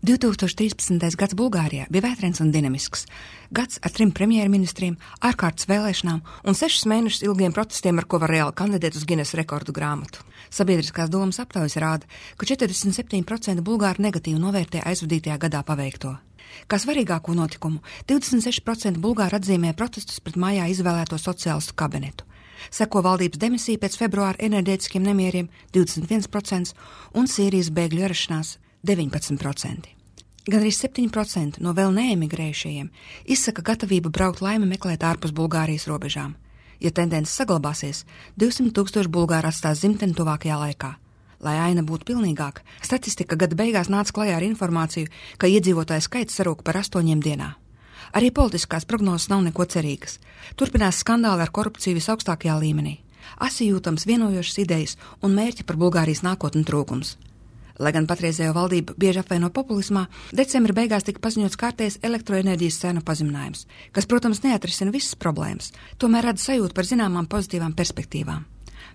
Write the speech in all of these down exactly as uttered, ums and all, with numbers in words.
divtūkstoš trīspadsmitais gads Bulgārijā bija vētrains un dinamisks. Gads ar trim premjerministriem, ārkārtas vēlēšanām un sešus mēnešus ilgiem protestiem, ar ko var reāli kandidēt uz Ginesu rekordu grāmatu. Sabiedriskās domas aptaujas rāda, ka četrdesmit septiņi procenti bulgāru negatīvi novērtē aizvadītajā gadā paveikto. Kā svarīgāko notikumu, divdesmit seši procenti bulgāru atzīmē protestus pret mājā izvēlēto sociālistu kabinetu. Seko valdības demisija pēc februāra enerģētiskiem nemieriem divdesmit viens procents un Sīrijas bēgļu ierašanās deviņpadsmit procenti. Gan arī septiņi procenti no vēl neemigrējušajiem izsaka gatavību braukt laimi meklēt ārpus Bulgārijas robežām. Ja tendence saglabāsies, divsimt tūkstoši bulgāri atstās dzimteni tuvākajā laikā. Lai aina būtu pilnīgāka, statistika gada beigās nāca klajā ar informāciju, ka iedzīvotāju skaits sarūk par astoņiem dienā. Arī politiskās prognozes nav neko cerīgas. Turpinās skandāli ar korupciju visaugstākajā līmenī. Asi jūtams vienojošas idejas un mērķi par Bulgārijas nākotni trūkums. Lai gan patreizējo valdību bieži apvaino populismā, decembra beigās tika paziņots kārtējs elektroenerģijas cenu pazeminājums, kas, protams, neatrisina visas problēmas, tomēr rada sajūtu par zināmām pozitīvām perspektīvām.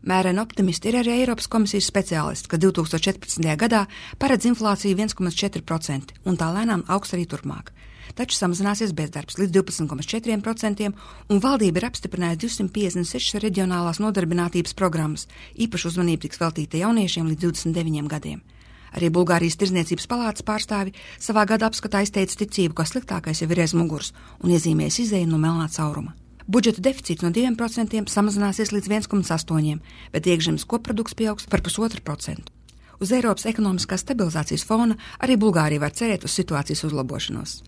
Mēreni optimisti ir arī Eiropas komisijas speciālisti, kas divtūkstoš četrpadsmitajā gadā paredz inflāciju viens komats četri procenti un tā lēnām augs arī turpmāk. Taču samazināsies bezdarbs līdz divpadsmit komats četri procenti un valdība ir apstiprinājusi divsimt piecdesmit sešas reģionālās nodarbinātības programmas, īpaši uzmanība tiks veltīta jauniešiem līdz divdesmit deviņiem gadiem. Arī Bulgārijas Tirdzniecības palātas pārstāvi savā gada apskatā izteica ticību, ka sliktākais jau ir aiz muguras un iezīmējas izēju no melnā cauruma. Budžeta deficīts no diviem procentiem samazināsies līdz viens komats astoņi, bet iekšzemes koprodukts pieaugs par pusotru procentu. Uz Eiropas ekonomiskās stabilizācijas fona arī Bulgārija var cerēt uz situācijas uzlabošanos.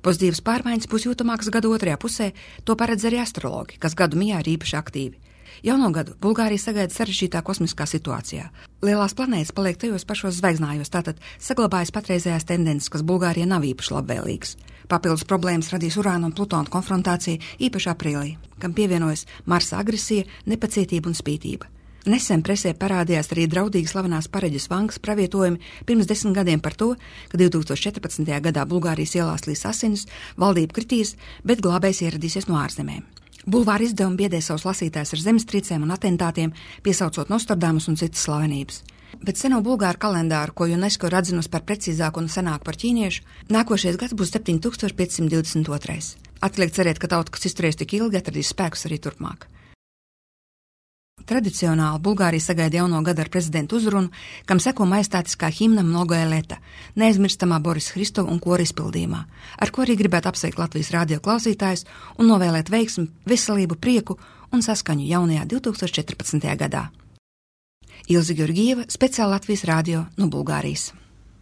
Pozitīvas pārmaiņas būs jūtamākas gada otrajā pusē, to paredz arī astrologi, kas gadu mijā ir īpaši aktīvi. Jauno gadu Bulgārija sagaida sarežģītā kosmiskā situācijā. Lielās planētas paliek tajos pašos zvaigznājos, tātad saglabājas patreizējās tendences, kas Bulgārijai nav īpaši labvēlīgas. Papildus problēmas radīs Urāna un Plutona konfrontācija īpaši aprīlī, kam pievienojas Marsa agresija, nepacietība un spītība. Nesen presē parādījās arī draudīgi slavenās Pareģes Vangas pravietojumi pirms desmit gadiem par to, ka divtūkstoš četrpadsmitajā gadā Bulgārijas ielās līs asinis, valdība kritīs, bet glābējs ieradīsies no ārzemēm. Bulvāra izdevumi biedē savus lasītājus ar zemestrīcēm un atentātiem, piesaucot Nostradamus un citas slavenības. Bet seno bulgāru kalendāru, ko UNESCO ir atzinusi par precīzāku un senāku par ķīniešu, nākošais gads būs septiņi tūkstoši piecsimt divdesmit otrais. Atliek cerēt, ka tauta, kas izturēs tik ilgi, atradīs spēkus arī turpmāk. Tradicionāli Bulgārija sagaida jauno gadu ar prezidentu uzrunu, kam seko majestātiskā himna Mnogoje leta, neaizmirstamā Borisa Hristova un kora izpildījumā, ar ko arī gribētu apsveikt Latvijas radio klausītājus un novēlēt veiksmi, veselību, prieku un saskaņu jaunajā divtūkstoš četrpadsmitajā gadā. Ilze Georgieva, speciāli Latvijas radio no Bulgārijas.